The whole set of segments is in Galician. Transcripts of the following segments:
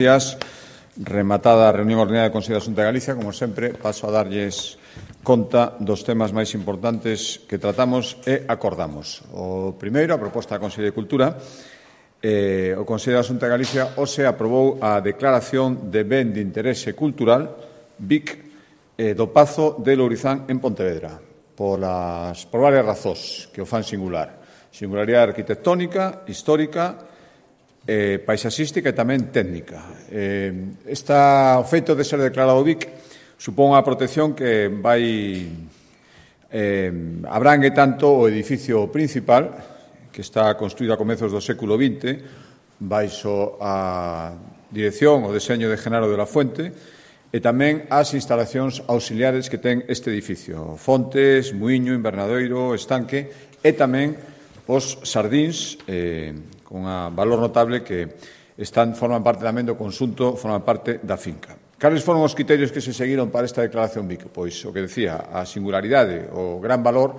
Días, rematada a reunión ordinaria do Consello da Xunta de Galicia, como sempre, paso a darlles conta dos temas máis importantes que tratamos e acordamos. O primeiro, a proposta da Consello de Cultura. O Consello da Xunta de Galicia hoxe aprobou a declaración de ben de interese cultural BIC do Pazo de Lourizán en Pontevedra por varias razóns que o fan singular. Singularidade arquitectónica, histórica, paisaxística e tamén técnica. O feito de ser declarado BIC supón unha protección que abrangue tanto o edificio principal, que está construído a comezos do século XX, baixo a dirección o deseño de Genaro de la Fuente, e tamén as instalacións auxiliares que ten este edificio, fontes, muiño, invernadoiro, estanque, e tamén os sardíns, con un valor notable que forman parte tamén do conxunto, forman parte da finca. Cales foron os criterios que se seguiron para esta declaración BIC? Pois o que decía, a singularidade, o gran valor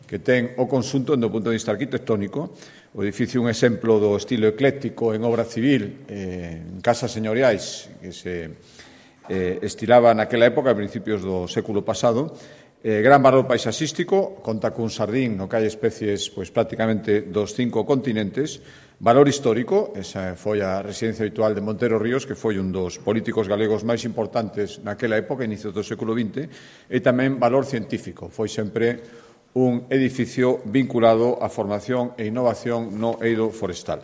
que ten o conxunto do punto de vista arquitectónico. O edificio é un exemplo do estilo ecléctico en obra civil, en casas señoriais que se estilaba naquela época, a principios do século pasado. Gran valor paisaxístico, conta cun sardín no que hai especies prácticamente dos 5 continentes. Valor histórico, esa foi a residencia habitual de Montero Ríos, que foi un dos políticos galegos máis importantes naquela época, inicios do século XX, e tamén valor científico. Foi sempre un edificio vinculado á formación e innovación no eido forestal.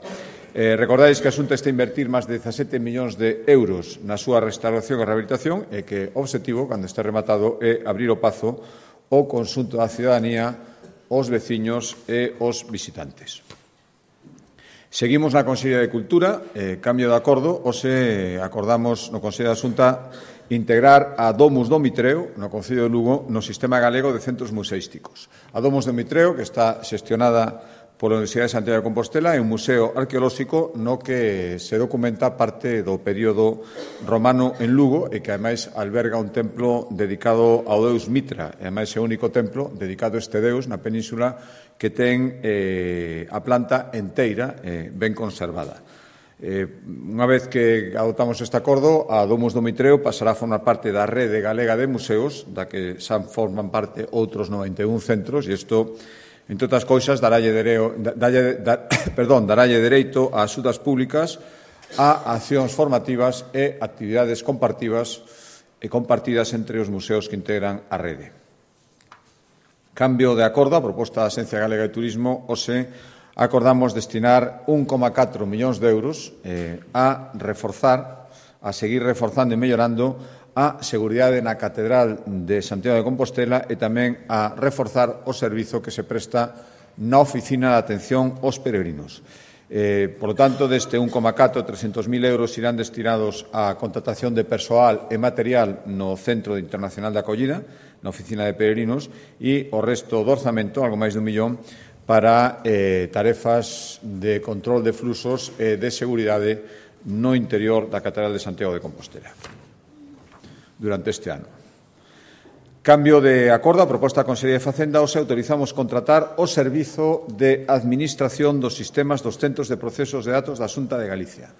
Recordades que a Xunta está a invertir máis de 17 millóns de euros na súa restauración e rehabilitación e que o obxectivo, cando este rematado, é abrir o Pazo ao conxunto da cidadanía, os veciños e os visitantes. Seguimos na Consellería de Cultura, cambio de acordo. Hoxe acordamos no Consello da Xunta integrar a Domus do Mitreo no Concello de Lugo no Sistema Galego de Centros Museísticos. A Domus do Mitreo, que está xestionada pola Universidade de Santiago de Compostela, é un museo arqueolóxico no que se documenta parte do período romano en Lugo e que, ademais, alberga un templo dedicado ao deus Mitra. E, ademais, é o único templo dedicado a este deus na península que ten a planta enteira ben conservada. Unha vez que adoptamos este acordo, a Domus do Mitreo pasará a formar parte da rede galega de museos, da que xa forman parte outros 91 centros, e isto, entre outras cousas, darálle dereito a axudas públicas, a accións formativas e actividades compartidas entre os museos que integran a rede. Cambio de acordo, a proposta da Axencia Galega de Turismo, hoxe acordamos destinar 1,4 millóns de euros a seguir reforzando e mellorando a seguridade na Catedral de Santiago de Compostela e tamén a reforzar o servizo que se presta na Oficina de Atención aos Peregrinos. Por lo tanto, deste 1,4, 300.000 euros irán destinados á contratación de persoal e material no Centro Internacional de Acollida, na Oficina de Peregrinos, e o resto do orzamento, algo máis de 1 millón, para tarefas de control de fluxos e de seguridade no interior da Catedral de Santiago de Compostela durante este ano. Cambio de acordo, a proposta da Consellería de Facenda, hoxe autorizamos contratar o servizo de administración dos sistemas dos centros de procesos de datos da Xunta de Galicia.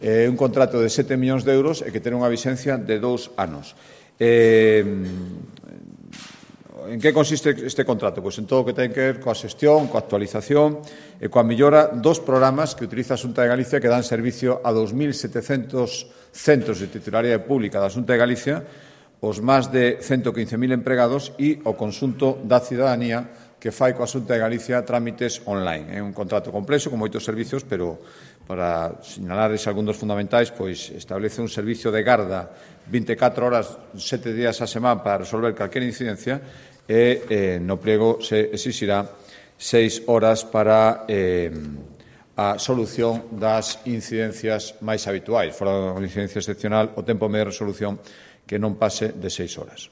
Un contrato de 7 millóns de euros e que ten unha vixencia de 2 anos. En que consiste este contrato? Pois en todo o que ten que ver coa xestión, coa actualización e coa mellora dos programas que utiliza a Xunta de Galicia, que dan servicio a 2.700 centros de titularidade pública da Xunta de Galicia, os máis de 115.000 empregados e o conxunto da cidadanía que fai coa Xunta de Galicia trámites online. É un contrato complexo, con moitos servicios, pero para sinalares algún dos fundamentais, pois establece un servicio de garda 24 horas, 7 días a semana para resolver calquera incidencia e no pliego se exixirá 6 horas para a solución das incidencias máis habituais. Fora da incidencia excepcional, o tempo medio de resolución que non pase de 6 horas.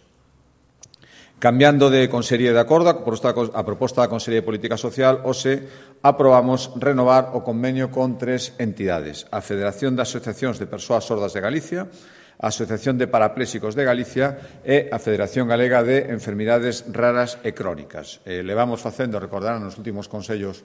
Cambiando de Consellería de acordo, a proposta da Consellería de Política Social, hoxe aprobamos renovar o convenio con 3 entidades: a Federación de Asociacións de Persoas Sordas de Galicia, a Asociación de Parapléxicos de Galicia e a Federación Galega de Enfermidades Raras e Crónicas. Levamos facendo, recordarán, nos últimos consellos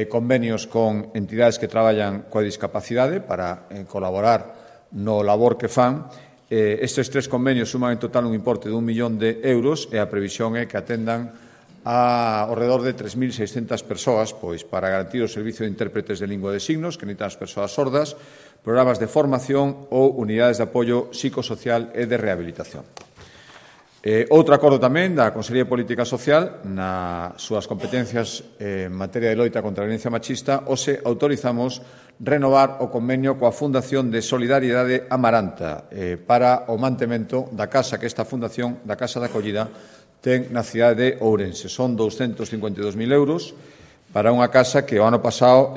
convenios con entidades que traballan coa discapacidade para colaborar no labor que fan. Estes 3 convenios suman en total un importe de 1 millón de euros e a previsión é que atendan ao redor de 3.600 persoas para garantir o servicio de intérpretes de lingua de signos que necesitan as persoas sordas, programas de formación ou unidades de apoio psicosocial e de rehabilitación. Outro acordo tamén da Consellería de Política Social nas súas competencias en materia de loita contra a violencia machista, hoxe autorizamos renovar o convenio coa Fundación de Solidariedade Amaranta para o mantemento da casa que esta fundación, da Casa de Acollida, ten na cidade de Ourense. Son 252.000 euros para unha casa que o ano pasado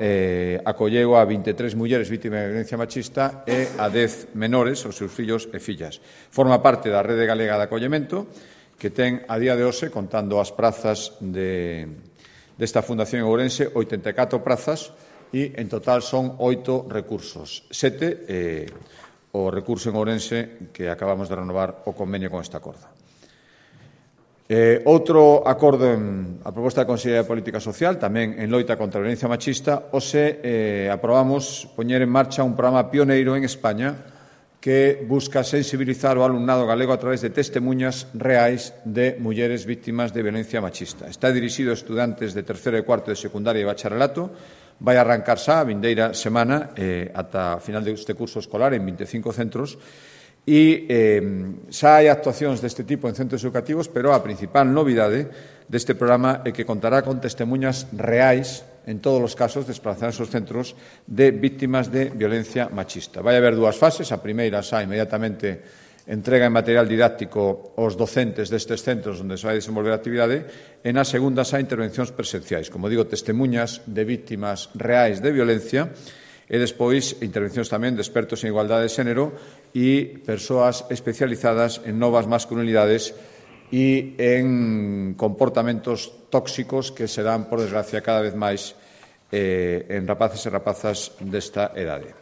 acolleu a 23 mulleres vítimas de violencia machista e a 10 menores, os seus fillos e fillas. Forma parte da Rede Galega de Acollemento, que ten a día de hoxe, contando as prazas desta Fundación en Ourense, 84 prazas e en total son 8 recursos. 7 o recurso en Ourense que acabamos de renovar o convenio con esta acordo. Outro acordo a proposta da Consellería de Política Social, tamén en loita contra a violencia machista, hoxe aprobamos poñer en marcha un programa pioneiro en España que busca sensibilizar o alumnado galego a través de testemunhas reais de mulleres vítimas de violencia machista. Está dirixido a estudantes de terceiro e cuarto de secundaria e bacharelato, vai arrancar xa a vindeira semana ata a final deste curso escolar en 25 centros. E xa hai actuacións deste tipo en centros educativos, pero a principal novidade deste programa é que contará con testemunhas reais en todos os casos desplazados aos centros de vítimas de violencia machista. Vai haber 2 fases. A primeira xa inmediatamente entrega en material didáctico aos docentes destes centros onde se vai desenvolver a actividade, e na segunda xa intervencións presenciais, como digo, testemunhas de vítimas reais de violencia, e despois intervencións tamén de expertos en igualdade de xénero e persoas especializadas en novas masculinidades e en comportamentos tóxicos que se dan, por desgracia, cada vez máis en rapaces e rapazas desta edade.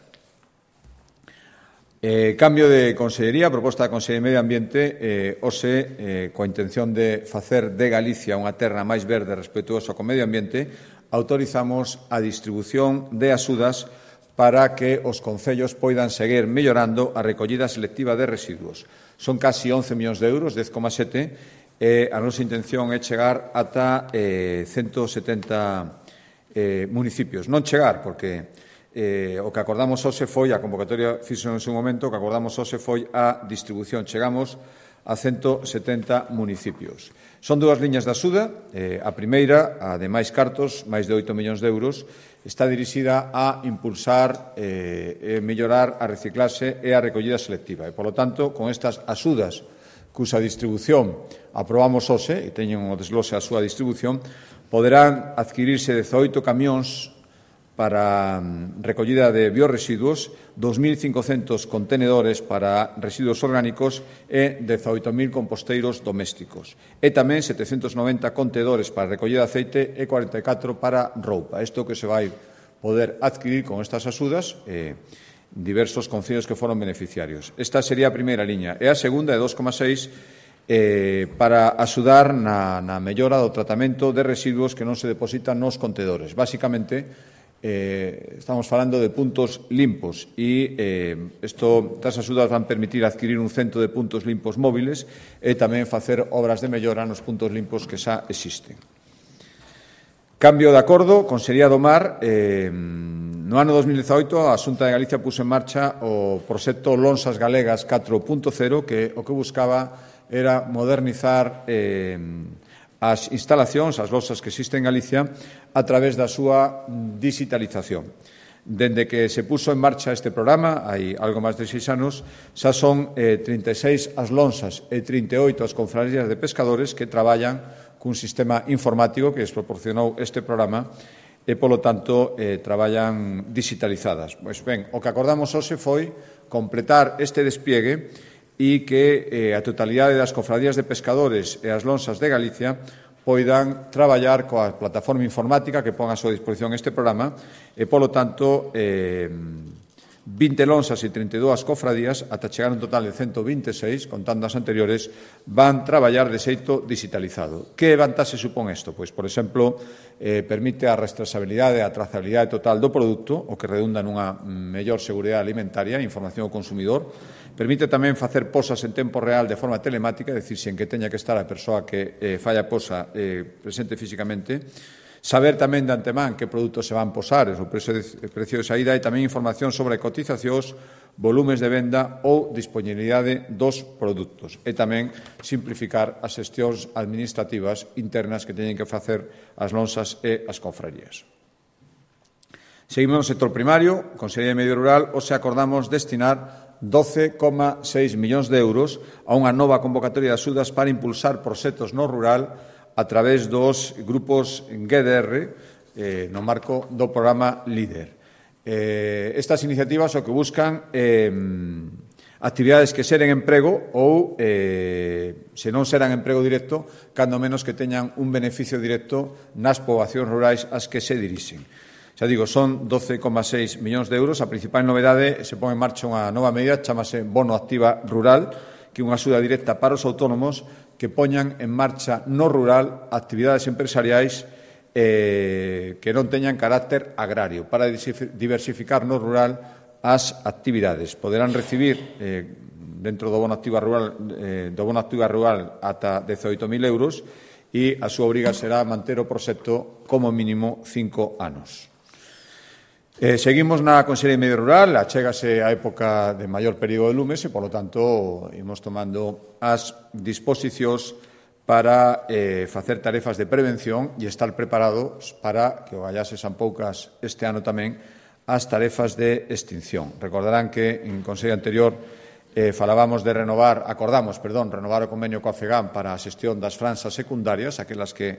Cambio de consellería, proposta da Consellería de Medio Ambiente, hoxe, coa intención de facer de Galicia unha terra máis verde e respetuosa co medio ambiente, autorizamos a distribución de axudas para que os concellos poidan seguir mellorando a recollida selectiva de residuos. Son casi 11 millóns de euros, 10,7, e a nosa intención é chegar ata 170 municipios. Non chegar, porque o que acordamos hoxe foi, a convocatoria fixo en seu momento, o que acordamos hoxe foi a distribución. Chegamos a 170 municipios. Son 2 liñas de axuda. A primeira, a de máis cartos, máis de 8 millóns de euros, está dirixida a impulsar e mellorar a reciclaxe e a recollida selectiva. E, polo tanto, con estas axudas cusa distribución aprobamos hoxe, e teñen o desglose a súa distribución, poderán adquirirse 18 camións para recollida de biorresiduos, 2.500 contenedores para residuos orgánicos e 18.000 composteiros domésticos. E tamén 790 contedores para recollida de aceite e 44 para roupa. Isto que se vai poder adquirir con estas axudas diversos concellos que foron beneficiarios. Esta sería a primeira liña. E a segunda é 2,6 para axudar na mellora do tratamento de residuos que non se depositan nos contedores. Básicamente, estamos falando de puntos limpos e estas axudas van permitir adquirir un centro de puntos limpos móviles e tamén facer obras de mellora nos puntos limpos que xa existen. Cambio de acordo, Consellería do Mar. No ano 2018 a Xunta de Galicia puso en marcha o proxecto Lonsas Galegas 4.0 que o que buscaba era modernizar as instalacións, as losas que existen en Galicia, a través da súa digitalización. Dende que se puso en marcha este programa, hai algo máis de 6 anos, xa son 36 as lonsas e 38 as confrarías de pescadores que traballan cun sistema informático que les proporcionou este programa e, polo tanto, traballan digitalizadas. Pois ben, o que acordamos hoxe foi completar este despliegue e que a totalidade das cofradías de pescadores e as lonsas de Galicia poidan traballar coa plataforma informática que pon a súa disposición este programa e, polo tanto, 20 lonxas e 32 cofradías, ata chegar un total de 126, contando as anteriores, van traballar de xeito digitalizado. Que vantaxe supón isto? Pois, por exemplo, permite a rastreabilidade e a trazabilidade total do produto, o que redunda nunha mellor seguridade alimentaria e información ao consumidor. Permite tamén facer posas en tempo real de forma telemática, é dicir, sen que teña que estar a persoa que fai a posa presente físicamente. Saber tamén de antemán que produtos se van posar, o precio de saída, e tamén información sobre cotizacións, volumes de venda ou disponibilidade dos produtos. E tamén simplificar as xestións administrativas internas que teñen que facer as lonxas e as confrarías. Seguimos no sector primario, Consellería de Medio Rural, hoxe acordamos destinar 12,6 millóns de euros a unha nova convocatoria de axudas para impulsar proxectos no rural a través dos grupos GDR no marco do programa LEADER. Estas iniciativas o que buscan actividades que xeren emprego ou, se non xeran emprego directo, cando menos que teñan un beneficio directo nas poboacións rurais ás que se dirixen. Xa digo, son 12,6 millóns de euros. A principal novedade se pon en marcha unha nova medida, chamase Bono Activa Rural, que é unha axuda directa para os autónomos que poñan en marcha no rural actividades empresariais que non teñan carácter agrario, para diversificar no rural as actividades. Poderán recibir dentro do Bono Activa Rural ata 18.000 euros e a súa obriga será manter o proxecto como mínimo 5 anos. Seguimos na Consellería de Medio Rural, achégase a época de maior período de lumes e, polo tanto, imos tomando as disposicións para facer tarefas de prevención e estar preparados para, que o gallase san poucas este ano tamén, as tarefas de extinción. Recordarán que en Consello anterior acordamos renovar o convenio coa FEGAM para a xestión das franxas secundarias, aquelas que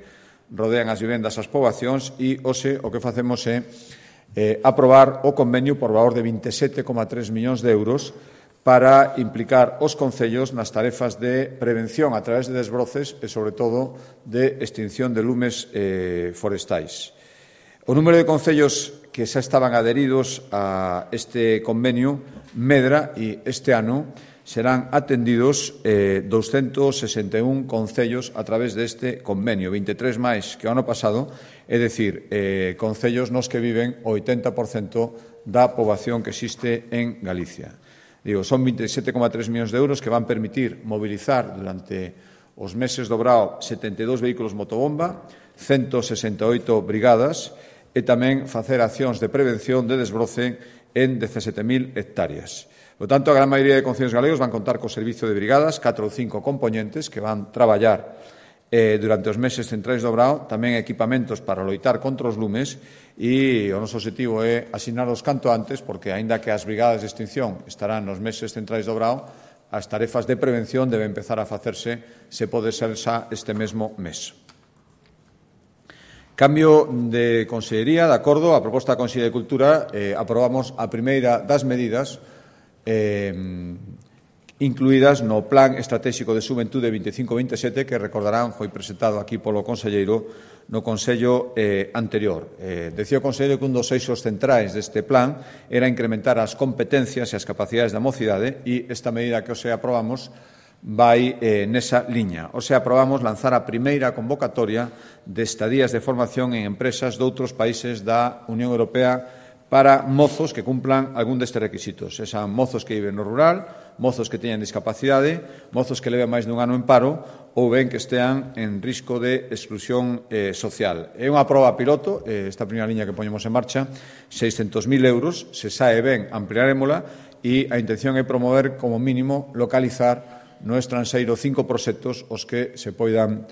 rodean as vivendas as poboacións, e hoxe o que facemos é aprobar o convenio por valor de 27,3 millóns de euros para implicar os concellos nas tarefas de prevención a través de desbroces e, sobre todo, de extinción de lumes forestais. O número de concellos que xa estaban adheridos a este convenio medra e este ano serán atendidos 261 concellos a través deste convenio, 23 máis que o ano pasado, é dicir, concellos nos que viven o 80% da poboación que existe en Galicia. Digo, son 27,3 millóns de euros que van permitir mobilizar durante os meses do Brao 72 vehículos motobomba, 168 brigadas e tamén facer accións de prevención de desbroce en 17.000 hectáreas. Por tanto, a gran maioría de concellos galegos van contar co servizo de brigadas, 4 ou 5 componentes que van traballar durante os meses centrais do Brao, tamén equipamentos para loitar contra os lumes, e o noso objetivo é asignalos canto antes, porque, aínda que as brigadas de extinción estarán nos meses centrais do Brao, as tarefas de prevención deben empezar a facerse, se pode ser xa este mesmo mes. Cambio de Consellería, de acordo, a proposta da Consellería de Cultura, aprobamos a primeira das medidas incluídas no Plan Estratégico de Xuventude 25-27, que recordarán foi presentado aquí polo conselleiro no Consello anterior. Decía o conselleiro que un dos eixos centrais deste plan era incrementar as competencias e as capacidades da mocidade, e esta medida que hoxe aprobamos vai nesa liña. Hoxe aprobamos lanzar a primeira convocatoria de estadías de formación en empresas doutros países da Unión Europea para mozos que cumplan algún destes requisitos. Esan mozos que viven no rural, mozos que teñan discapacidade, mozos que leven máis dun ano en paro ou ben que estean en risco de exclusión social. É unha proba piloto, esta primeira liña que poñemos en marcha, 600.000 euros, se sae ben, ampliarémola, e a intención é promover, como mínimo, localizar no estranxeiro 5 proxectos os que se poidan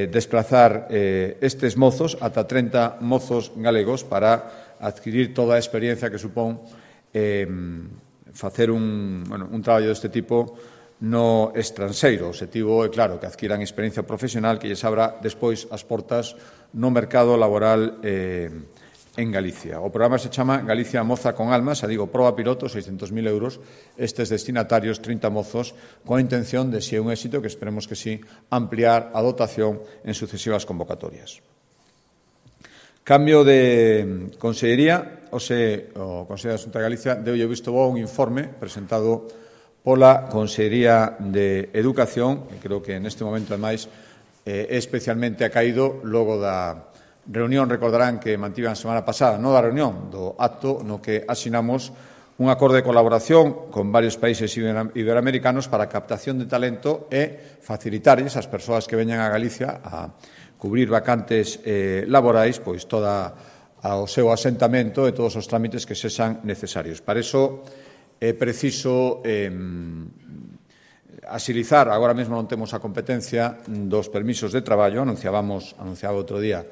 desplazar estes mozos, ata 30 mozos galegos, para adquirir toda a experiencia que supón facer un traballo deste tipo no estranxeiro. O objetivo é, claro, que adquiran experiencia profesional que lles abra despois as portas no mercado laboral en Galicia. O programa se chama Galicia Moza con Alma, xa digo, proba piloto, 600.000 euros, estes destinatarios, 30 mozos, con a intención de, se é un éxito, que esperemos que sí, ampliar a dotación en sucesivas convocatorias. Cambio de consellería, o Consello da Xunta de Galicia deulle visto bo un informe presentado pola Consellería de Educación, que creo que neste momento, ademais, especialmente acaído logo da reunión, recordarán que mantiven a semana pasada, non da reunión, do acto no que asinamos un acordo de colaboración con varios países iberoamericanos para a captación de talento e facilitarlles ás persoas que veñan a Galicia a cubrir vacantes laborais, pois toda o seu asentamento e todos os trámites que sexan necesarios. Para iso é preciso axilizar, agora mesmo non temos a competencia dos permisos de traballo, anunciaba outro día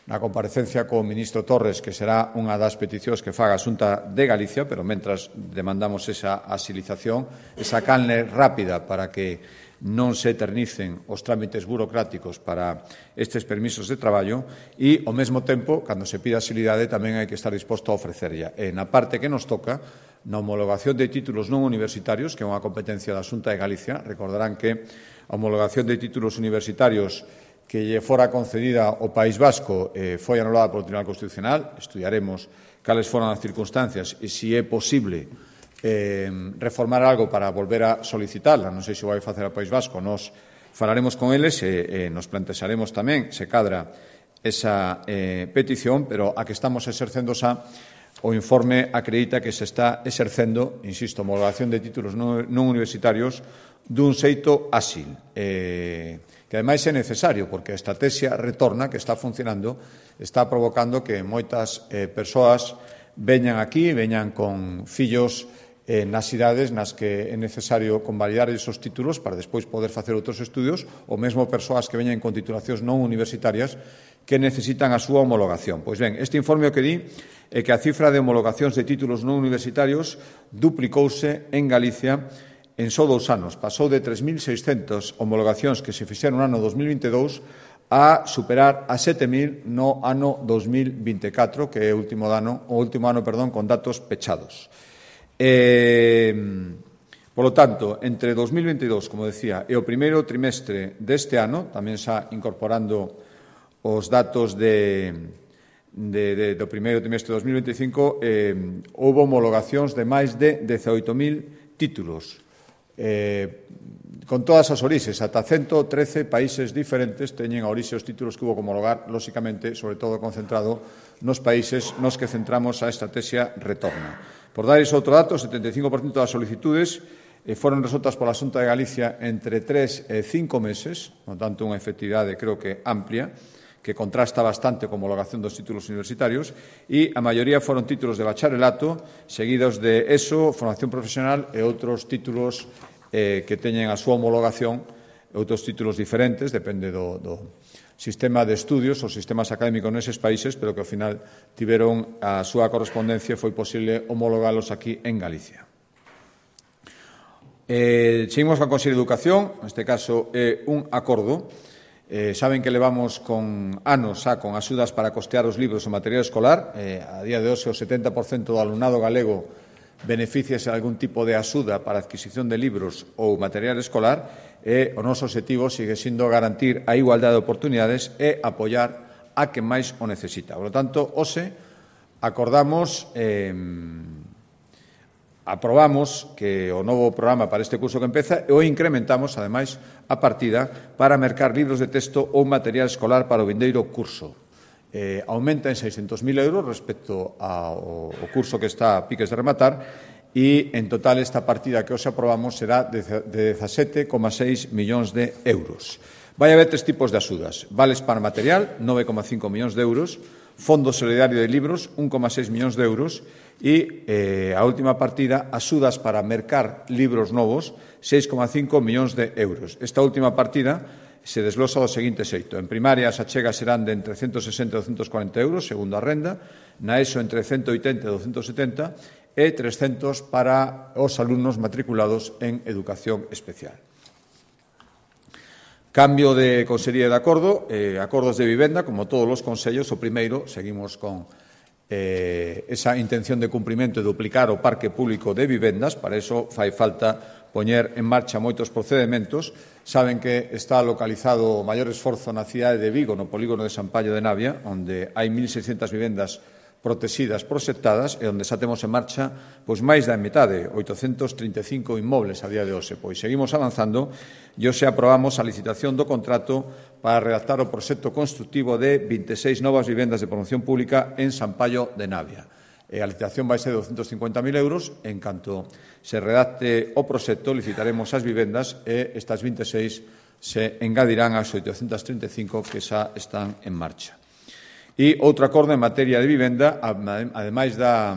na comparecencia co ministro Torres que será unha das peticións que faga a Xunta de Galicia, pero mentras demandamos esa axilización, esa canle rápida para que non se eternicen os trámites burocráticos para estes permisos de traballo e, ao mesmo tempo, cando se pida axilidade, tamén hai que estar disposto a ofrecerlla. E na parte que nos toca, na homologación de títulos non universitarios, que é unha competencia da Xunta de Galicia, recordarán que a homologación de títulos universitarios que lle fora concedida ao País Vasco foi anulada polo Tribunal Constitucional. Estudiaremos cales foron as circunstancias e se é posible reformar algo para volver a solicitarla. Non sei se o vai facer ao País Vasco, nos falaremos con eles e nos plantexaremos tamén se cadra esa petición, pero a que estamos exercendo xa o informe acredita que se está exercendo, insisto, homologación de títulos non universitarios dun xeito áxil, que ademais é necesario, porque a estrategia retorna que está funcionando, está provocando que moitas persoas veñan aquí, veñan con fillos nas cidades nas que é necesario convalidar esos títulos para despois poder facer outros estudios, ou mesmo persoas que veñan con titulacións non universitarias que necesitan a súa homologación. Pois ben, este informe o que di é que a cifra de homologacións de títulos non universitarios duplicouse en Galicia en só 2 anos. Pasou de 3.600 homologacións que se fixeron no ano 2022 a superar a 7.000 no ano 2024, que é o último ano con datos pechados. Polo tanto, entre 2022, como decía, e o primeiro trimestre deste ano, tamén xa incorporando os datos do primeiro trimestre de 2025, houve homologacións de máis de 18.000 títulos, con todas as orixes, ata 113 países diferentes teñen a orixe os títulos que hubo que homologar, lóxicamente, sobre todo concentrado nos países nos que centramos a estrategia Retorna. Por dar ese outro dato, o 75% das solicitudes foron resoltas pola Xunta de Galicia entre 3 e 5 meses, por tanto, unha efectividade, creo que amplia, que contrasta bastante con a homologación dos títulos universitarios, e a maioría foron títulos de bacharelato, seguidos de ESO, formación profesional e outros títulos que teñen a súa homologación, outros títulos diferentes, depende do sistema de estudios ou sistemas académicos neses países, pero que ao final tiveron a súa correspondencia e foi posible homologalos aquí en Galicia. Seguimos con a Consellería de Educación, neste caso é un acordo. Saben que levamos con anos xa con axudas para costear os libros e o material escolar. A día de hoxe o 70% do alumnado galego beneficiase de algún tipo de axuda para a adquisición de libros ou material escolar, e o noso objetivo sigue sendo garantir a igualdade de oportunidades e apoiar a quen máis o necesita. Por lo tanto, hoxe acordamos, aprobamos que o novo programa para este curso que empeza e o incrementamos, ademais, a partida para mercar libros de texto ou material escolar para o vindeiro curso. Aumenta en 600.000 euros respecto ao curso que está a piques de rematar, e en total esta partida que hoxe aprobamos será de 17,6 millóns de euros. Vai haber 3 tipos de axudas. Vales para material, 9,5 millóns de euros, Fondo Solidario de Libros, 1,6 millóns de euros, e a última partida, axudas para mercar libros novos, 6,5 millóns de euros. Esta última partida se desglosa do seguinte xeito. En primaria as achegas serán de entre 160 e 240 euros, segundo a renda, na ESO entre 180 e 270, e 300 para os alumnos matriculados en educación especial. Cambio de consellería de acordo, acordos de vivenda, como todos os consellos. O primeiro, seguimos con esa intención de cumprimento de duplicar o parque público de vivendas. Para iso fai falta poñer en marcha moitos procedementos. Saben que está localizado o maior esforzo na cidade de Vigo, no polígono de San Pallo de Navia, onde hai 1.600 vivendas protegidas, proxectadas, e onde xa temos en marcha máis da metade, 835 inmobles a día de hoxe. Pois seguimos avanzando e hoxe aprobamos a licitación do contrato para redactar o proxecto construtivo de 26 novas vivendas de promoción pública en San Pallo de Navia. A licitación vai ser de 250.000 euros. En canto se redacte o proxecto, licitaremos as vivendas e estas 26 se engadirán ás 835 que xa están en marcha. E outro acordo en materia de vivenda, ademais da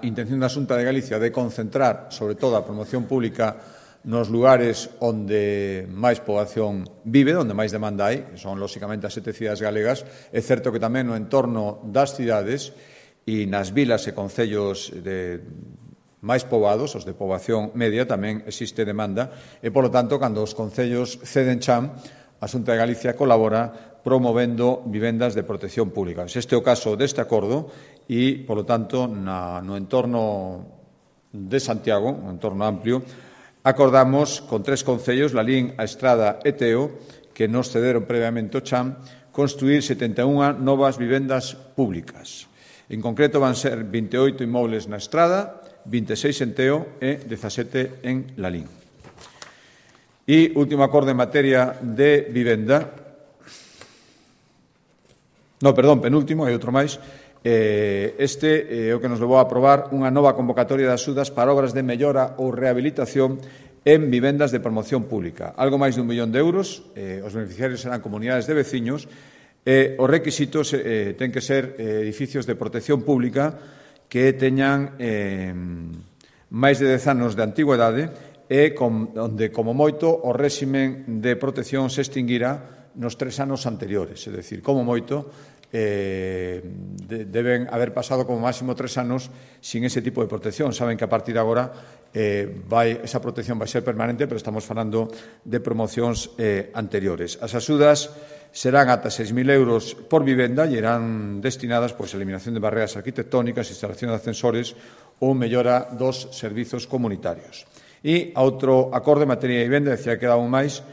intención da Xunta de Galicia de concentrar, sobre todo, a promoción pública nos lugares onde máis poboación vive, onde máis demanda hai, que son, lóxicamente, as 7 cidades galegas. É certo que tamén no entorno das cidades e nas vilas e concellos máis poboados, os de poboación media, tamén existe demanda e, polo tanto, cando os concellos ceden chan, a Xunta de Galicia colabora promovendo vivendas de protección pública. Este é o caso deste acordo e, polo tanto, no entorno de Santiago, un entorno amplio, acordamos con 3 concellos, Lalín, A Estrada e Teo, que nos cederon previamente o chan, construir 71 novas vivendas públicas. En concreto, van ser 28 inmobles na Estrada, 26 en Teo e 17 en Lalín. E último acordo en materia de vivenda. Penúltimo, hai outro máis. Este é o que nos levou a aprobar unha nova convocatoria de axudas para obras de mellora ou rehabilitación en vivendas de promoción pública. Algo máis de 1 millón de euros. Os beneficiarios serán comunidades de veciños. Os requisitos ten que ser edificios de protección pública que teñan máis de 10 anos de antigüedade e onde, como moito, o réximen de protección se extinguirá nos 3 anos anteriores. É dicir, como moito, deben haber pasado como máximo 3 anos sin ese tipo de protección. Saben que a partir de agora esa protección vai ser permanente, pero estamos falando de promocións anteriores. As axudas serán ata 6.000 euros por vivenda e irán destinadas a eliminación de barreras arquitectónicas, instalación de ascensores ou mellora dos servizos comunitarios. E outro acordo en materia de vivenda, decía que quedaba un máis,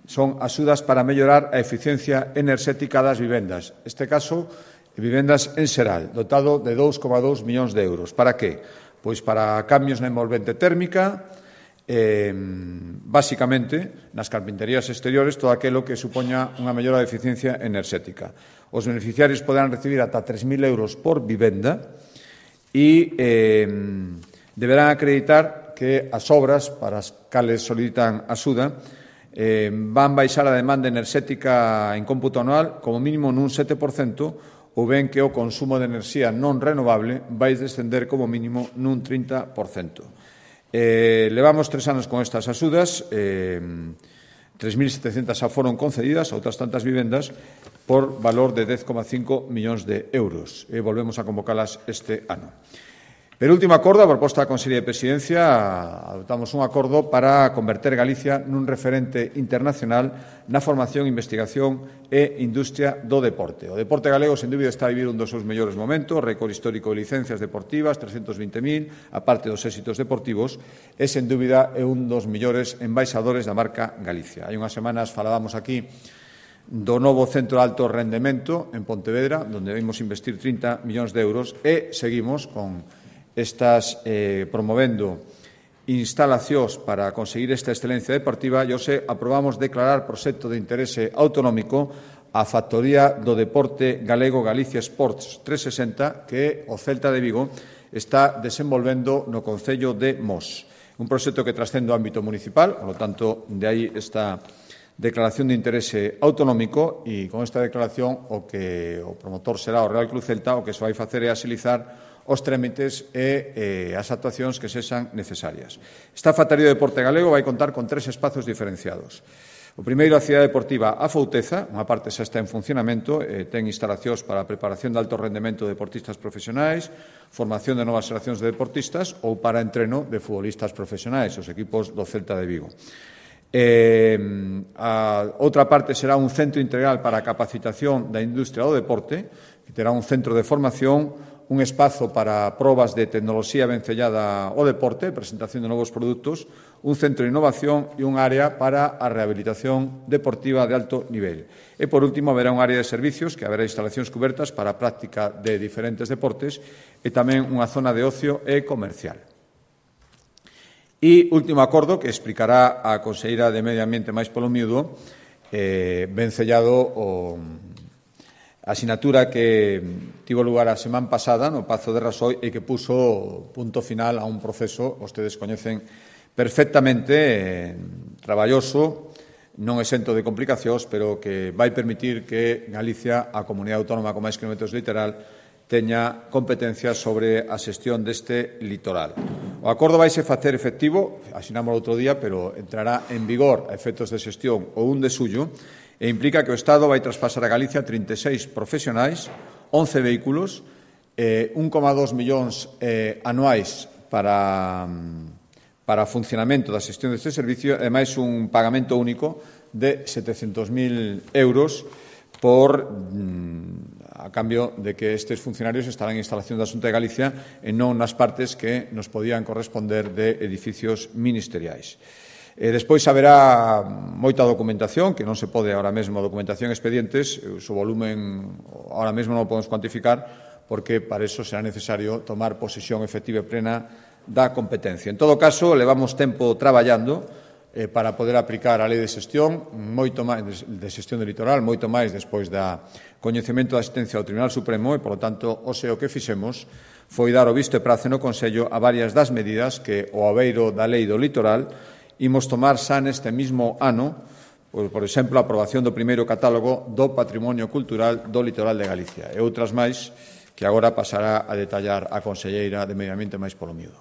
son axudas para mellorar a eficiencia enerxética das vivendas. Este caso, vivendas en xeral, dotado de 2,2 millóns de euros. Para que? Pois para cambios na envolvente térmica, basicamente, nas carpinterías exteriores, todo aquilo que supoña unha mellora de eficiencia enerxética. Os beneficiarios poderán recibir ata 3.000 euros por vivenda e deberán acreditar que as obras para as cales solicitan axuda van baixar a demanda enerxética en cómputo anual como mínimo nun 7% ou ben que o consumo de enerxía non renovable vai descender como mínimo nun 30%. Levamos 3 anos con estas axudas, 3.700 xa foron concedidas, outras tantas vivendas, por valor de 10,5 millóns de euros. E volvemos a convocalas este ano. Per último acordo, a proposta da Consellería de Presidencia, adoptamos un acordo para converter Galicia nun referente internacional na formación, investigación e industria do deporte. O deporte galego, sen dúbida, está a vivir un dos seus mellores momentos, récord histórico de licencias deportivas, 320.000, a parte dos éxitos deportivos, e, sen dúbida, é un dos mellores embaixadores da marca Galicia. Hai unhas semanas falábamos aquí do novo centro de alto rendemento en Pontevedra, onde vimos investir 30 millóns de euros e seguimos con estas promovendo instalacións para conseguir esta excelencia deportiva e hoxe aprobamos declarar proxecto de interese autonómico a Factoría do Deporte Galego Galicia Sports 360 que o Celta de Vigo está desenvolvendo no concello de Mos. Un proxecto que trascende o ámbito municipal, por lo tanto, de aí esta declaración de interese autonómico e con esta declaración o promotor será o Real Club Celta, o que se vai facer é axilizar os trámites e as actuacións que sexan necesarias. Esta Factoría do Deporte Galego vai contar con 3 espazos diferenciados. O primeiro, a cidade deportiva A Fouteza, unha parte xa está en funcionamento, ten instalacións para a preparación de alto rendemento de deportistas profesionais, formación de novas xeracións de deportistas ou para entreno de futbolistas profesionais, os equipos do Celta de Vigo. A outra parte será un centro integral para a capacitación da industria do deporte, que terá un centro de formación, un espazo para probas de tecnoloxía vencellada ao deporte, presentación de novos produtos, un centro de innovación e un área para a rehabilitación deportiva de alto nivel. E, por último, haberá un área de servicios que haberá instalacións cubertas para a práctica de diferentes deportes e tamén unha zona de ocio e comercial. E último acordo que explicará a conselleira de Medio Ambiente máis polo miúdo, vencellado a sinatura que tivo lugar a semana pasada no Pazo de Rasoi e que puso punto final a un proceso, vostedes coñecen perfectamente, traballoso, non exento de complicacións, pero que vai permitir que Galicia, a comunidade autónoma con máis kilómetros de litoral, teña competencias sobre a xestión deste litoral. O acordo vaise facer efectivo, asinamos outro día, pero entrará en vigor a efectos de xestión o 1 de xullo, e implica que o Estado vai traspasar a Galicia 36 profesionais, 11 vehículos, 1,2 millóns anuais para o funcionamento da xestión deste servicio, e máis un pagamento único de 700.000 euros a cambio de que estes funcionarios estarán en instalación da Xunta de Galicia e non nas partes que nos podían corresponder de edificios ministeriais. Despois haberá moita documentación, que non se pode ahora mesmo, documentación e expedientes, o seu volumen ahora mesmo non o podemos cuantificar, porque para iso será necesario tomar posesión efectiva e plena da competencia. En todo caso, levamos tempo traballando para poder aplicar a lei de xestión, moito máis de xestión do litoral, moito máis despois da coñecemento da asistencia ao Tribunal Supremo e, polo tanto, o que fixemos foi dar o visto e prace no Consello a varias das medidas que o aveiro da lei do litoral imos tomar xa neste mismo ano, por exemplo, a aprobación do primeiro catálogo do patrimonio cultural do litoral de Galicia e outras máis que agora pasará a detallar a conselleira de Medio Ambiente máis polo miúdo.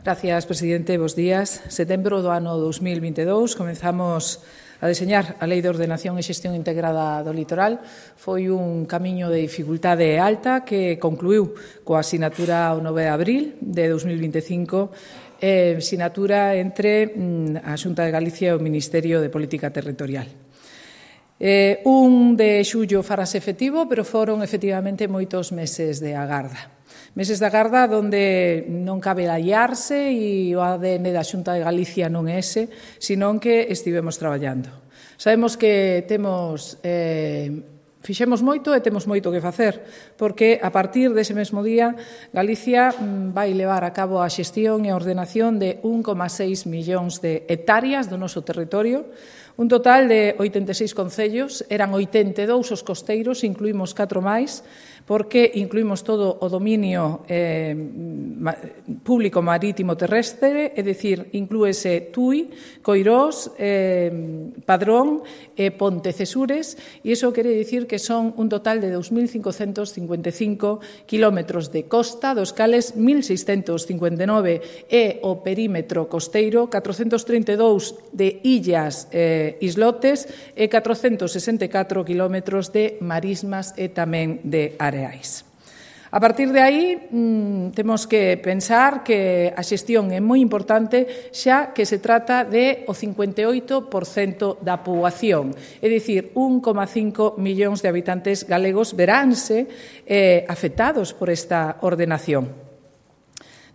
Gracias, presidente. Bos días. Setembro do ano 2022 comenzamos a deseñar a Lei de Ordenación e Xestión Integrada do Litoral. Foi un camiño de dificultade alta que concluiu coa sinatura o 9 de abril de 2025, sinatura entre a Xunta de Galicia e o Ministerio de Política Territorial. 1 de xullo farase efectivo, pero foron efectivamente moitos meses de agarda. Meses de agarda onde non cabe laiarse e o ADN da Xunta de Galicia non é ese, senón que estivemos traballando. Sabemos que fixemos moito e temos moito que facer, porque a partir dese mesmo día Galicia vai levar a cabo a xestión e a ordenación de 1,6 millóns de hectáreas do noso territorio, un total de 86 concellos, eran 82 os costeiros, incluímos 4 máis, porque incluímos todo o dominio público marítimo terrestre, é dicir, inclúese Tui, Coirós, Padrón e Pontecesures, e iso quere dicir que son un total de 2.555 kilómetros de costa, dos cales 1.659 é o perímetro costeiro, 432 de illas islotes e 464 kilómetros de marismas e tamén de areais. A partir de aí, temos que pensar que a xestión é moi importante xa que se trata de o 58% da poboación, é dicir, 1,5 millóns de habitantes galegos veránse afectados por esta ordenación.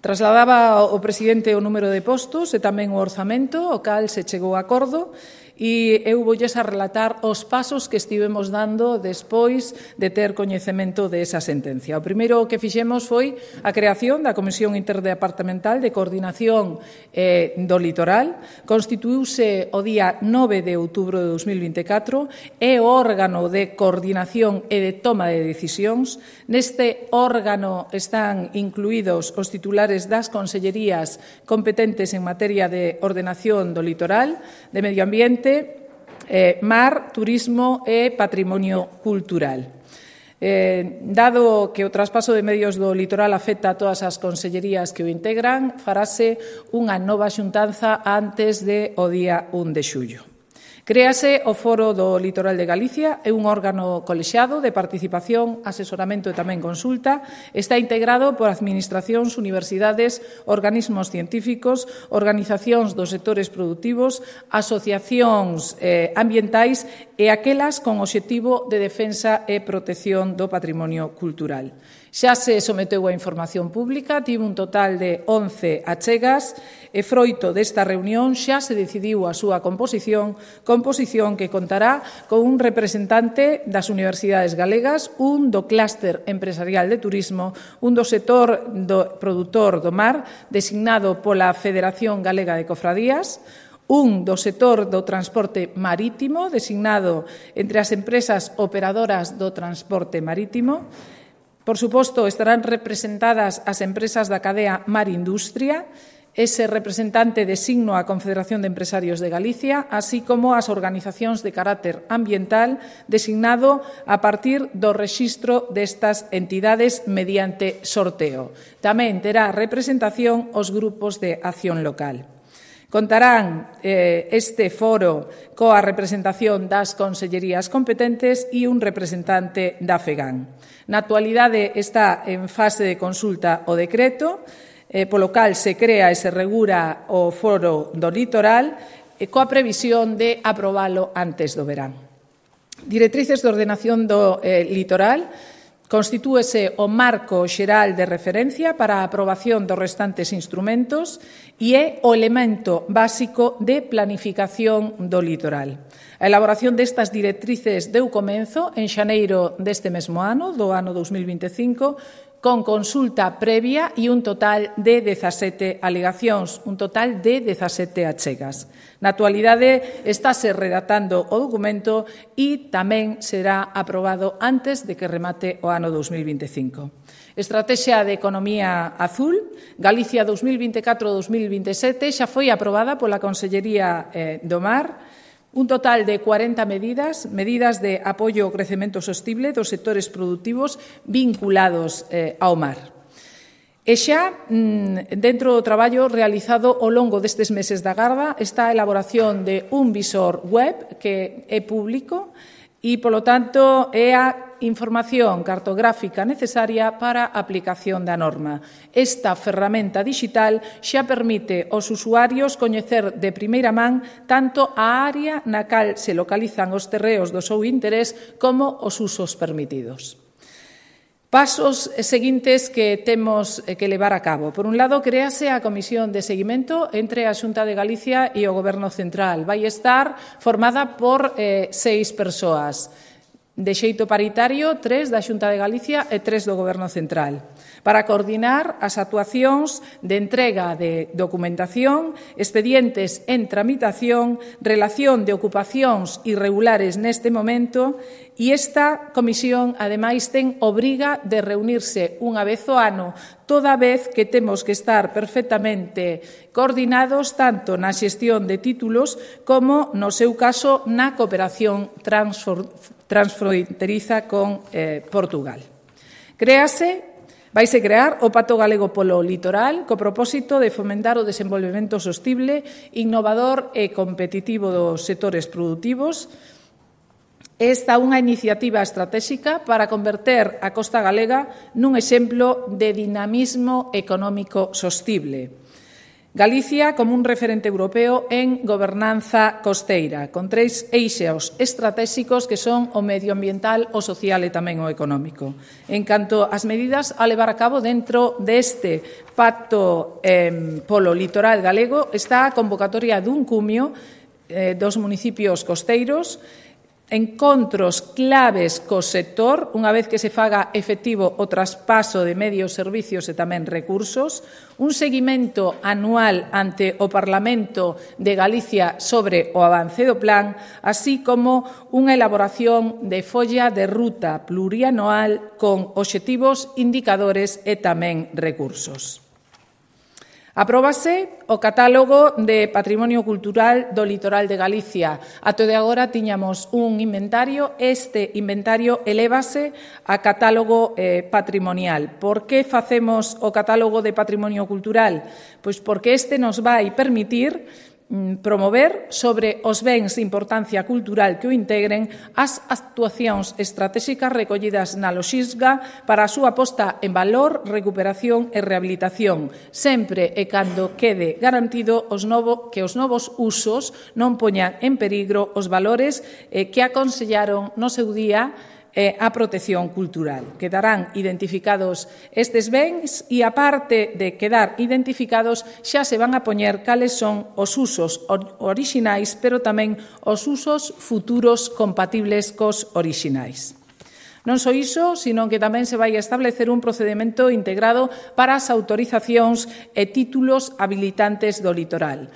Trasladaba o presidente o número de postos e tamén o orzamento, o cal se chegou a acordo, e eu voulles a relatar os pasos que estivemos dando despois de ter coñecemento desa sentencia. O primeiro que fixemos foi a creación da Comisión Interdepartamental de Coordinación do Litoral. Constituíuse o día 9 de outubro de 2024, é o órgano de coordinación e de toma de decisións. Neste órgano están incluídos os titulares das consellerías competentes en materia de ordenación do litoral, de medio ambiente, mar, turismo e patrimonio cultural. Dado que o traspaso de medios do litoral afecta a todas as consellerías que o integran, farase unha nova xuntanza antes do día 1 de xullo. Créase o Foro do Litoral de Galicia, é un órgano colexiado de participación, asesoramento e tamén consulta. Está integrado por administracións, universidades, organismos científicos, organizacións dos sectores produtivos, asociacións ambientais e aquelas con obxectivo de defensa e protección do patrimonio cultural. Xa se someteu a información pública, tivo un total de 11 achegas e froito desta reunión xa se decidiu a súa composición que contará con un representante das universidades galegas, un do clúster empresarial de turismo, un do sector do produtor do mar, designado pola Federación Galega de Cofradías, un do sector do transporte marítimo, designado entre as empresas operadoras do transporte marítimo. Por suposto, estarán representadas as empresas da cadea Mar Industria, ese representante designo a Confederación de Empresarios de Galicia, así como as organizacións de carácter ambiental designado a partir do rexistro destas entidades mediante sorteo. Tamén terá representación os grupos de acción local. Contarán este foro coa representación das consellerías competentes e un representante da FEGAN. Na actualidade está en fase de consulta o decreto, polo cal se crea e se regula o foro do litoral coa previsión de aprobalo antes do verán. Directrices de ordenación do litoral. Constitúese o marco xeral de referencia para a aprobación dos restantes instrumentos e é o elemento básico de planificación do litoral. A elaboración destas directrices deu comenzo en xaneiro deste mesmo ano, do ano 2025, con consulta previa e un total de 17 alegacións, un total de 17 achegas. Na actualidade estáse redactando o documento e tamén será aprobado antes de que remate o ano 2025. Estrategia de Economía Azul, Galicia 2024-2027, xa foi aprobada pola Consellería do Mar. Un total de 40 medidas de apoio ao crecemento sostible dos sectores produtivos vinculados ao mar. E xa, dentro do traballo realizado ao longo destes meses da Garda, está a elaboración de un visor web que é público e, polo tanto, é a información cartográfica necesaria para a aplicación da norma. Esta ferramenta digital xa permite aos usuarios coñecer de primeira man tanto a área na cal se localizan os terreos do seu interés como os usos permitidos. Pasos seguintes que temos que levar a cabo. Por un lado, créase a Comisión de Seguimento entre a Xunta de Galicia e o Goberno Central. Vai estar formada por 6 persoas. De xeito paritario, 3 da Xunta de Galicia e 3 do Goberno Central, para coordinar as actuacións de entrega de documentación, expedientes en tramitación, relación de ocupacións irregulares neste momento, e esta comisión, ademais, ten obriga de reunirse unha vez ao ano, toda vez que temos que estar perfectamente coordinados tanto na xestión de títulos como, no seu caso, na cooperación transfronteriza con Portugal. Vaise crear o Pacto Galego polo Litoral co propósito de fomentar o desenvolvemento sostible, innovador e competitivo dos sectores produtivos. Esta é unha iniciativa estratégica para converter a costa galega nun exemplo de dinamismo económico sostible. Galicia como un referente europeo en gobernanza costeira, con 3 eixos estratégicos que son o medioambiental, o social e tamén o económico. En canto ás medidas a levar a cabo dentro deste pacto polo litoral galego, está a convocatoria dun cumio dos municipios costeiros, encontros claves co sector, unha vez que se faga efectivo o traspaso de medios, servicios e tamén recursos, un seguimento anual ante o Parlamento de Galicia sobre o avance do plan, así como unha elaboración de folla de ruta plurianual con obxectivos, indicadores e tamén recursos. Apróbase o catálogo de Patrimonio Cultural do Litoral de Galicia. Até de agora tiñamos un inventario, este inventario elévase a catálogo patrimonial. Por que facemos o catálogo de Patrimonio Cultural? Pois porque este nos vai permitir promover sobre os bens de importancia cultural que o integren as actuacións estratégicas recollidas na loxisga para a súa posta en valor, recuperación e rehabilitación, sempre e cando quede garantido que os novos usos non poñan en peligro os valores que aconsellaron no seu día a protección cultural. Quedarán identificados estes bens e, aparte de quedar identificados, xa se van a poñer cales son os usos orixinais, pero tamén os usos futuros compatibles cos orixinais. Non só iso, sino que tamén se vai establecer un procedimento integrado para as autorizacións e títulos habilitantes do litoral.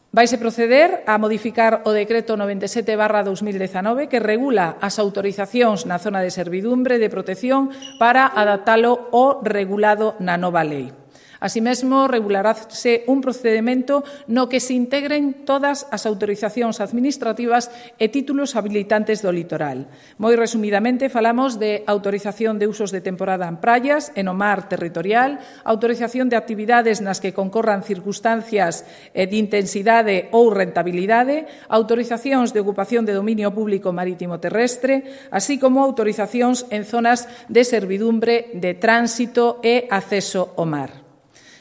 Vaise proceder a modificar o decreto 97/2019 que regula as autorizacións na zona de servidumbre de protección para adaptalo ao regulado na nova lei. Así mesmo, regularase un procedimento no que se integren todas as autorizacións administrativas e títulos habilitantes do litoral. Moi resumidamente, falamos de autorización de usos de temporada en praias e no mar territorial, autorización de actividades nas que concorran circunstancias de intensidade ou rentabilidade, autorizacións de ocupación de dominio público marítimo terrestre, así como autorizacións en zonas de servidumbre de tránsito e acceso ao mar.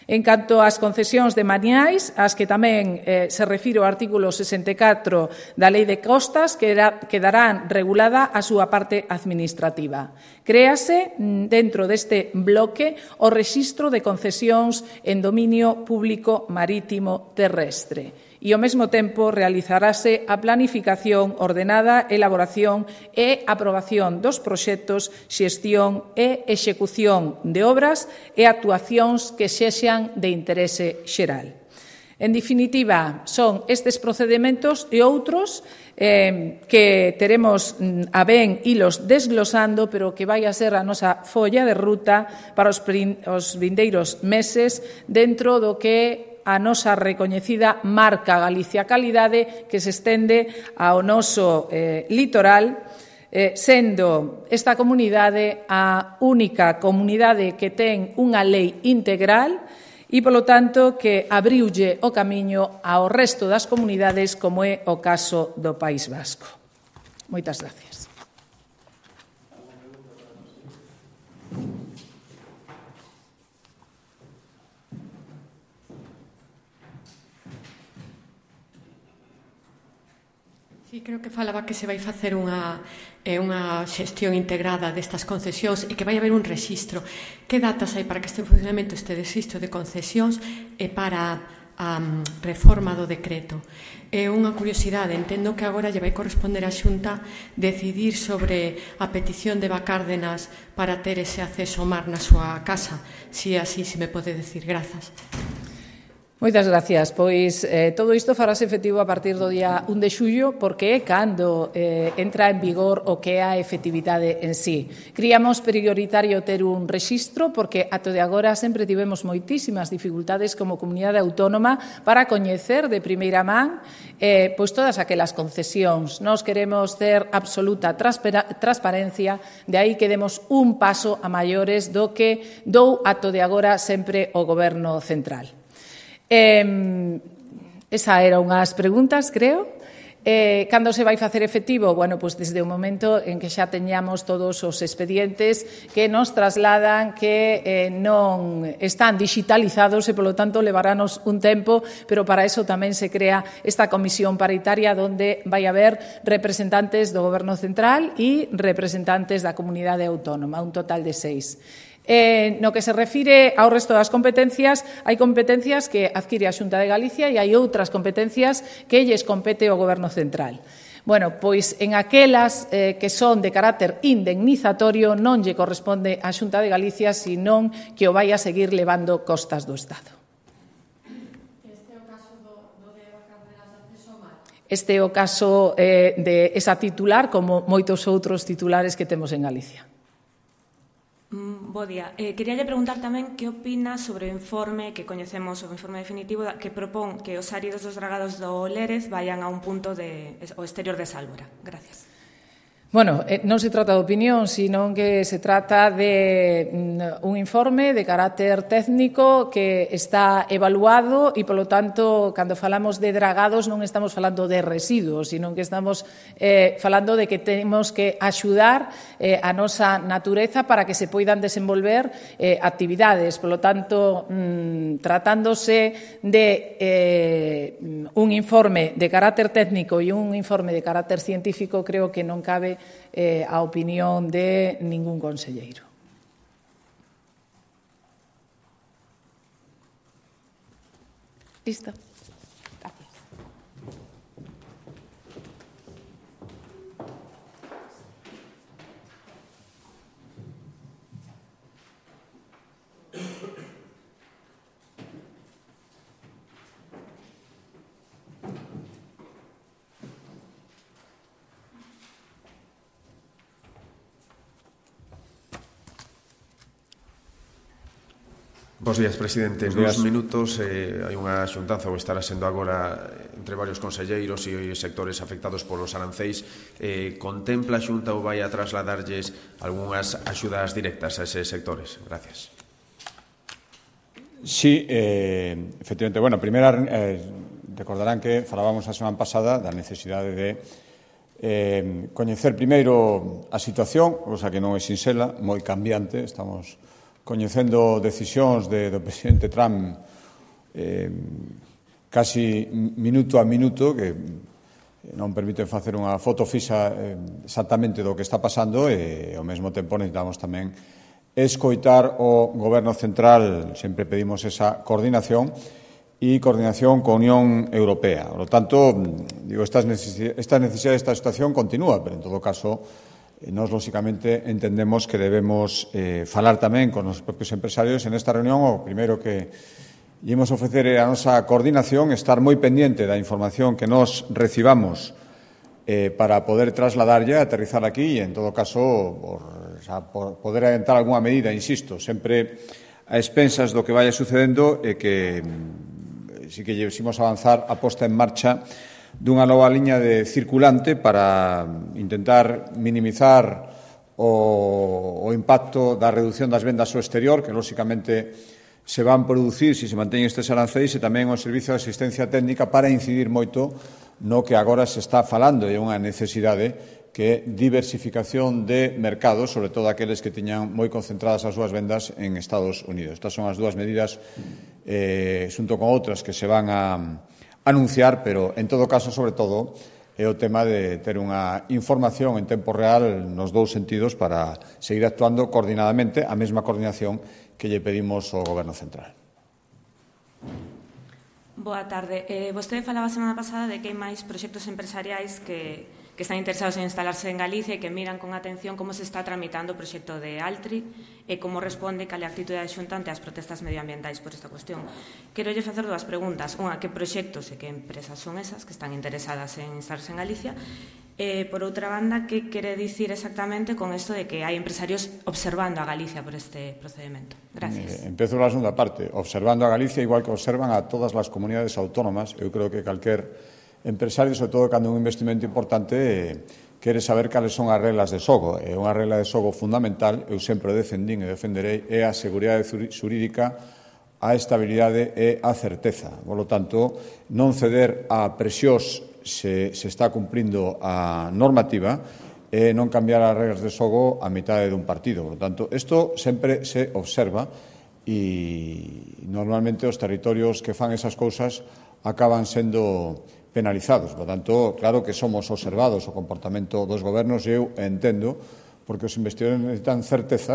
En canto ás concesións de maniais, as que tamén se refire ao artículo 64 da Lei de Costas, quedarán regulada a súa parte administrativa. Créase dentro deste bloque o rexistro de concesións en dominio público marítimo terrestre. E, ao mesmo tempo, realizarase a planificación ordenada, elaboración e aprobación dos proxectos, xestión e execución de obras e actuacións que sexan de interese xeral. En definitiva, son estes procedementos e outros que teremos a ben ilos desglosando, pero que vai a ser a nosa folla de ruta para os vindeiros meses dentro do que a nosa recoñecida marca Galicia Calidade que se estende ao noso litoral, sendo esta comunidade a única comunidade que ten unha lei integral e, polo tanto, que abriulle o camiño ao resto das comunidades, como é o caso do País Vasco. Moitas gracias. Sí, creo que falaba que se vai facer unha xestión integrada destas concesións e que vai haber un rexistro. Que datas hai para que este en funcionamento este rexistro de concesións e para a reforma do decreto? É unha curiosidade, entendo que agora lle vai corresponder á Xunta decidir sobre a petición de Bacárdenas para ter ese acceso ao mar na súa casa. Si así, se me pode decir. Grazas. Moitas gracias. Pois todo isto farase efectivo a partir do día 1 de xullo, porque é cando entra en vigor o que é a efectividade en sí. Criamos prioritario ter un rexistro porque ato de agora sempre tivemos moitísimas dificultades como comunidade autónoma para coñecer de primeira man pois todas aquelas concesións. Nós queremos ter absoluta transparencia, de aí que demos un paso a maiores do que dou ato de agora sempre o Goberno central. Esa era unhas preguntas, creo. Cando se vai facer efectivo? Bueno, pois desde o momento en que xa teñamos todos os expedientes que nos trasladan que non están digitalizados e, polo tanto, levarános un tempo, pero para eso tamén se crea esta comisión paritaria onde vai haber representantes do Goberno Central e representantes da comunidade autónoma, un total de 6. No que se refire ao resto das competencias, hai competencias que adquire a Xunta de Galicia e hai outras competencias que lles compete ao Goberno Central. Bueno, pois en aquelas que son de carácter indemnizatorio non lle corresponde á Xunta de Galicia, senón que o vai a seguir levando costas do Estado. Este é o caso do de Bacárdenas de acceso ao mar? Este é o caso de esa titular, como moitos outros titulares que temos en Galicia. Bo día. Queríalle preguntar tamén que opina sobre o informe que coñecemos, o informe definitivo que propón que os áridos dos dragados do Lérez vayan a un punto ao exterior de Sálvora. Gracias. Bueno, non se trata de opinión, sino que se trata de un informe de carácter técnico que está evaluado e, polo tanto, cando falamos de dragados non estamos falando de residuos, sino que estamos falando de que temos que axudar a nosa natureza para que se poidan desenvolver actividades. Polo tanto, tratándose de un informe de carácter técnico e un informe de carácter científico, creo que non cabe a opinión de ningún conselleiro. Listo. Gracias. Bos días, presidente. Nos minutos hai unha xuntanza, ou estará sendo agora entre varios conselleiros e sectores afectados polos aranceis. Contempla a Xunta ou vai a trasladarlles algunhas axudas directas a eses sectores? Gracias. Sí, efectivamente. Bueno, primeiro, recordarán que falábamos a semana pasada da necesidade de coñecer primeiro a situación, cosa que non é sinxela, moi cambiante. Estamos coñecendo decisións do presidente Trump casi minuto a minuto que non permiten facer unha foto fixa exactamente do que está pasando e ao mesmo tempo necesitamos tamén escoitar o Goberno Central. Sempre pedimos esa coordinación e coordinación con a Unión Europea. Por lo tanto, digo, esta necesidade, esta situación continúa, pero en todo caso nós, lóxicamente, entendemos que debemos falar tamén con os propios empresarios. En esta reunión, o primeiro que ímos ofrecer a nosa coordinación, estar moi pendiente da información que nos recibamos para poder trasladarlle, aterrizar aquí e, en todo caso, por poder adiantar algunha medida, insisto, sempre a expensas do que vaya sucedendo e que si que llevemos a avanzar a posta en marcha dunha nova liña de circulante para intentar minimizar o impacto da reducción das vendas ao exterior, que, lóxicamente, se van producir se se manteñen estes aranceis, e tamén o servicio de asistencia técnica para incidir moito no que agora se está falando e unha necesidade que é diversificación de mercados, sobre todo aqueles que tiñan moi concentradas as súas vendas en Estados Unidos. Estas son as dúas medidas, xunto con outras que se van a anunciar, pero, en todo caso, sobre todo, é o tema de ter unha información en tempo real nos dous sentidos para seguir actuando coordinadamente, a mesma coordinación que lle pedimos ao Goberno Central. Boa tarde. Vostede falaba a semana pasada de que hai máis proxectos empresariais que están interesados en instalarse en Galicia e que miran con atención como se está tramitando o proxecto de Altri e como responde cal é a actitude da Xunta ante as protestas medioambientais por esta cuestión. Quero lle facer dúas preguntas. Unha, que proxectos e que empresas son esas que están interesadas en instalarse en Galicia? Por outra banda, que quere dicir exactamente con isto de que hai empresarios observando a Galicia por este procedimento? Gracias. Empezo pola segunda parte. Observando a Galicia igual que observan a todas as comunidades autónomas. Eu creo que calquer empresario, sobre todo cando un investimento importante, quere saber cales son as reglas de xogo. É unha regla de xogo fundamental, eu sempre defendín e defenderei, é a seguridade xurídica, a estabilidade e a certeza. Por lo tanto, non ceder a presións se está cumprindo a normativa e non cambiar as reglas de xogo a mitade dun partido. Por lo tanto, isto sempre se observa e normalmente os territorios que fan esas cousas acaban sendo penalizados. Por tanto, claro que somos observados o comportamento dos gobernos e eu entendo porque os investidores necesitan certeza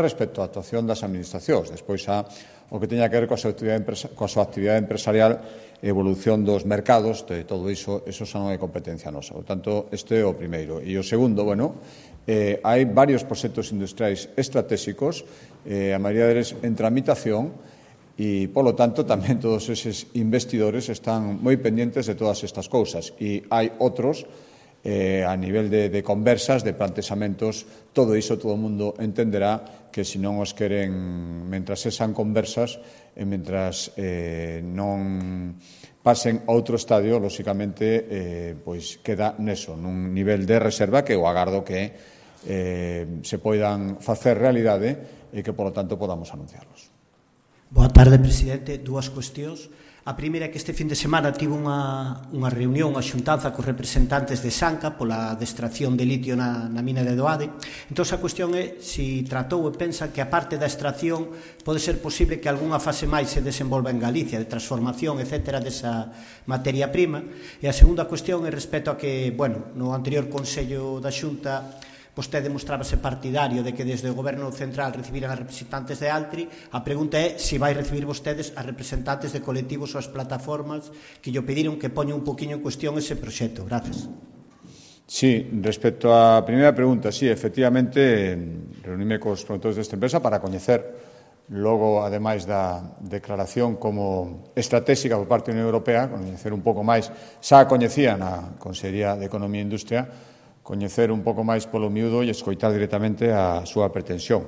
respecto á actuación das administracións. Despois, o que teña que ver coa súa actividade empresarial, evolución dos mercados, de todo iso xa non é competencia nosa. Por tanto, este é o primeiro. E o segundo, hai varios proxectos industriais estratégicos, a maioría deles en tramitación, e, polo tanto, tamén todos eses investidores están moi pendientes de todas estas cousas. E hai outros a nivel de conversas, de plantexamentos, todo iso todo o mundo entenderá que se non os queren, mentras sean conversas e mentras non pasen a outro estadio, lóxicamente, pois queda neso, nun nivel de reserva que eu agardo que se poidan facer realidade e que, polo tanto, podamos anunciarlos. Boa tarde, presidente. Dúas cuestións. A primeira é que este fin de semana tivo unha reunión, unha xuntanza cos representantes de Sanca pola extracción de litio na mina de Doade. Entón, a cuestión é se tratou e pensa que a parte da extracción pode ser posible que algunha fase máis se desenvolva en Galicia, de transformación, etc., desa materia prima. E a segunda cuestión é respecto a que, bueno, no anterior Consello da Xunta vostede mostrábase partidario de que desde o Goberno Central recibiran a representantes de Altri. A pregunta é se vai recibir vostedes a representantes de colectivos ou as plataformas que lle pediron que poña un poquinho en cuestión ese proxecto. Gracias. Sí, respecto á primeira pregunta, sí, efectivamente, reuníme cos promotores desta empresa para coñecer logo, ademais da declaración como estratégica por parte da Unión Europea, coñecer un pouco máis, xa a coñecía na Consellería de Economía e Industria, coñecer un pouco máis polo miúdo e escoitar directamente a súa pretensión.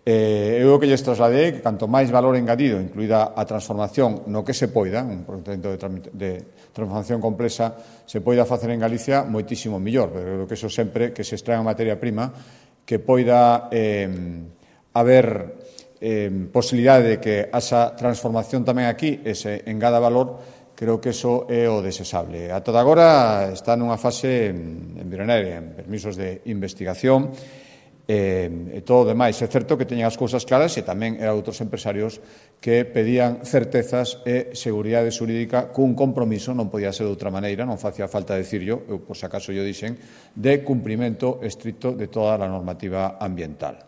Eu o que lles trasladei que canto máis valor engadido, incluída a transformación no que se poida, un procedimento de transformación complexa, se poida facer en Galicia, moitísimo millor, pero creo que eso sempre que se extrae a materia prima, que poida haber posibilidade de que esa transformación tamén aquí se engada valor. Creo que eso é o desexable. A toda agora está nunha fase embrionaria, en permisos de investigación e todo o demais. É certo que teñen as cousas claras e tamén eran outros empresarios que pedían certezas e seguridade xurídica cun compromiso, non podía ser de outra maneira, non facía falta decirlo, eu por se acaso yo dixen, de cumprimento estricto de toda a normativa ambiental.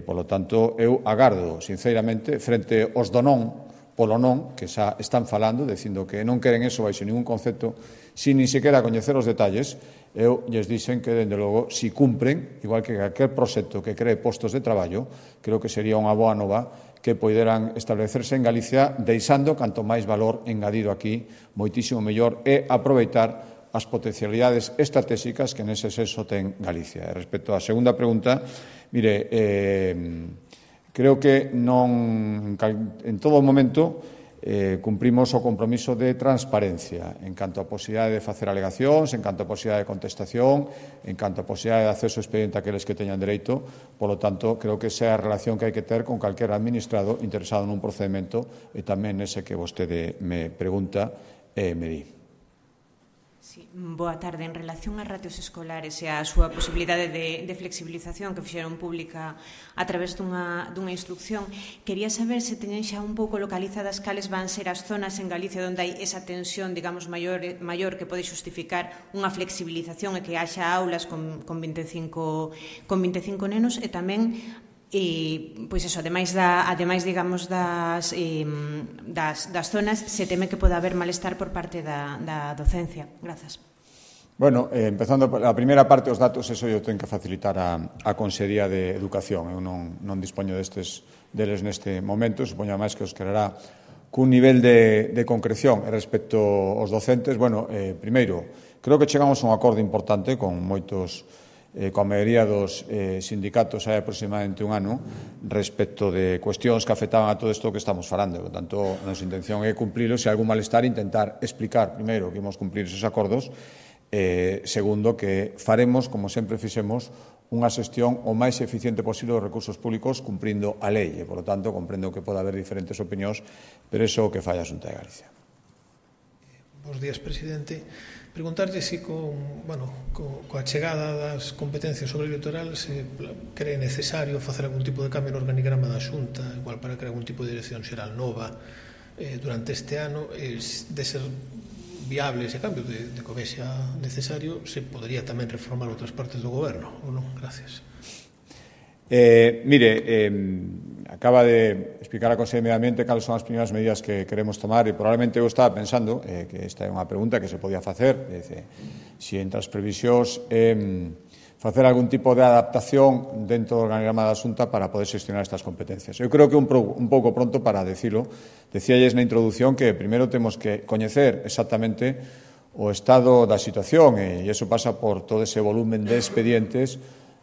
Polo tanto, eu agardo, sinceramente, frente aos do non, polo non, que xa están falando, dicindo que non queren eso baixo ningún concepto, sin ni sequera coñecer os detalles, eu lles dixen que, dende logo, si cumpren, igual que calquer proxecto que cree postos de traballo, creo que sería unha boa nova que poideran establecerse en Galicia, deixando canto máis valor engadido aquí, moitísimo mellor, e aproveitar as potencialidades estratégicas que nese senso ten Galicia. E respecto á segunda pregunta, mire, creo que non en todo momento cumprimos o compromiso de transparencia en canto a posibilidade de facer alegacións, en canto a posibilidade de contestación, en canto a posibilidade de acceso ao expediente a aqueles que teñan dereito. Polo tanto, creo que esa é a relación que hai que ter con calquer administrado interesado nun procedimento e tamén nese que vostede me pregunta e me di. Sí, boa tarde. En relación ás ratios escolares e a súa posibilidade de flexibilización que fixeron pública a través dunha instrucción, quería saber se teñen xa un pouco localizadas cales van ser as zonas en Galicia onde hai esa tensión, digamos, maior que pode justificar unha flexibilización e que haxa aulas con 25 nenos e tamén pois eso, ademais digamos das zonas, se teme que poda haber malestar por parte da docencia. Grazas. Bueno, empezando a primeira parte, os datos, eso eu tenho que facilitar a Consellería de Educación. Eu non dispoño deles neste momento, supoño máis que os quererá cun nivel de concreción respecto aos docentes. Bueno, primeiro, creo que chegamos a un acordo importante con moitos coa maioría dos sindicatos hai aproximadamente un ano respecto de cuestións que afectaban a todo isto que estamos falando. Por tanto, a nosa intención é cumplirlo. Se hai algún malestar, intentar explicar, primeiro, que imos cumplir esos acordos, segundo, que faremos, como sempre fixemos, unha xestión o máis eficiente posible dos recursos públicos cumprindo a lei. E, por lo tanto, comprendo que pode haber diferentes opinións, pero iso é o que fai a Xunta de Galicia. Bos días, presidente. Preguntarlle se coa chegada das competencias sobre o litoral se cree necesario facer algún tipo de cambio no organigrama da Xunta, igual para crear algún tipo de dirección xeral nova durante este ano, de ser viable ese cambio, de que vexa necesario, se podería tamén reformar outras partes do goberno, ou non? Gracias. Acaba de explicar a Consellería de Medio Ambiente cales son as primeiras medidas que queremos tomar e probablemente eu estaba pensando que esta é unha pregunta que se podía facer, se entre as previsións facer algún tipo de adaptación dentro do organigrama da Xunta para poder xestionar estas competencias. Eu creo que un pouco pronto para decirlo. Decíalles na introdución que primeiro temos que coñecer exactamente o estado da situación, e iso pasa por todo ese volumen de expedientes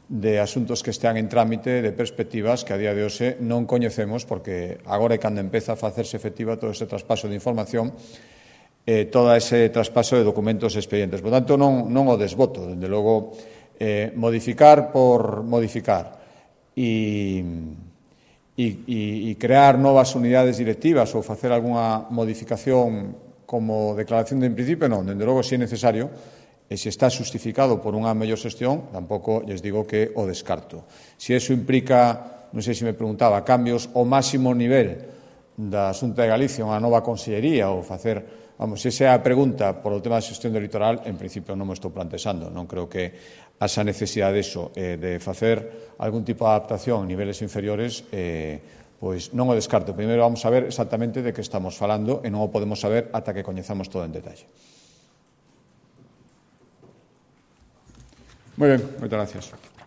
de asuntos que están en trámite, de perspectivas que a día de hoxe non coñecemos, porque agora é cando empeza a facerse efectiva todo ese traspaso de información, todo ese traspaso de documentos e expedientes. Por tanto, non o desboto, dende logo, modificar por modificar e crear novas unidades directivas ou facer algunha modificación como declaración de principio, non, dende logo, se é necesario, e se está justificado por unha mellor xestión, tampouco lles digo que o descarto. Se iso implica, non sei se me preguntaba, cambios ao máximo nivel da Xunta de Galicia, unha nova consellería, ou facer, vamos, se esa é a pregunta por o tema da xestión do litoral, en principio non me estou plantexando, non creo que esa necesidade de facer algún tipo de adaptación a niveles inferiores, pois non o descarto. Primeiro vamos a ver exactamente de que estamos falando e non o podemos saber ata que coñezamos todo en detalle. Moi ben, moitas gracias.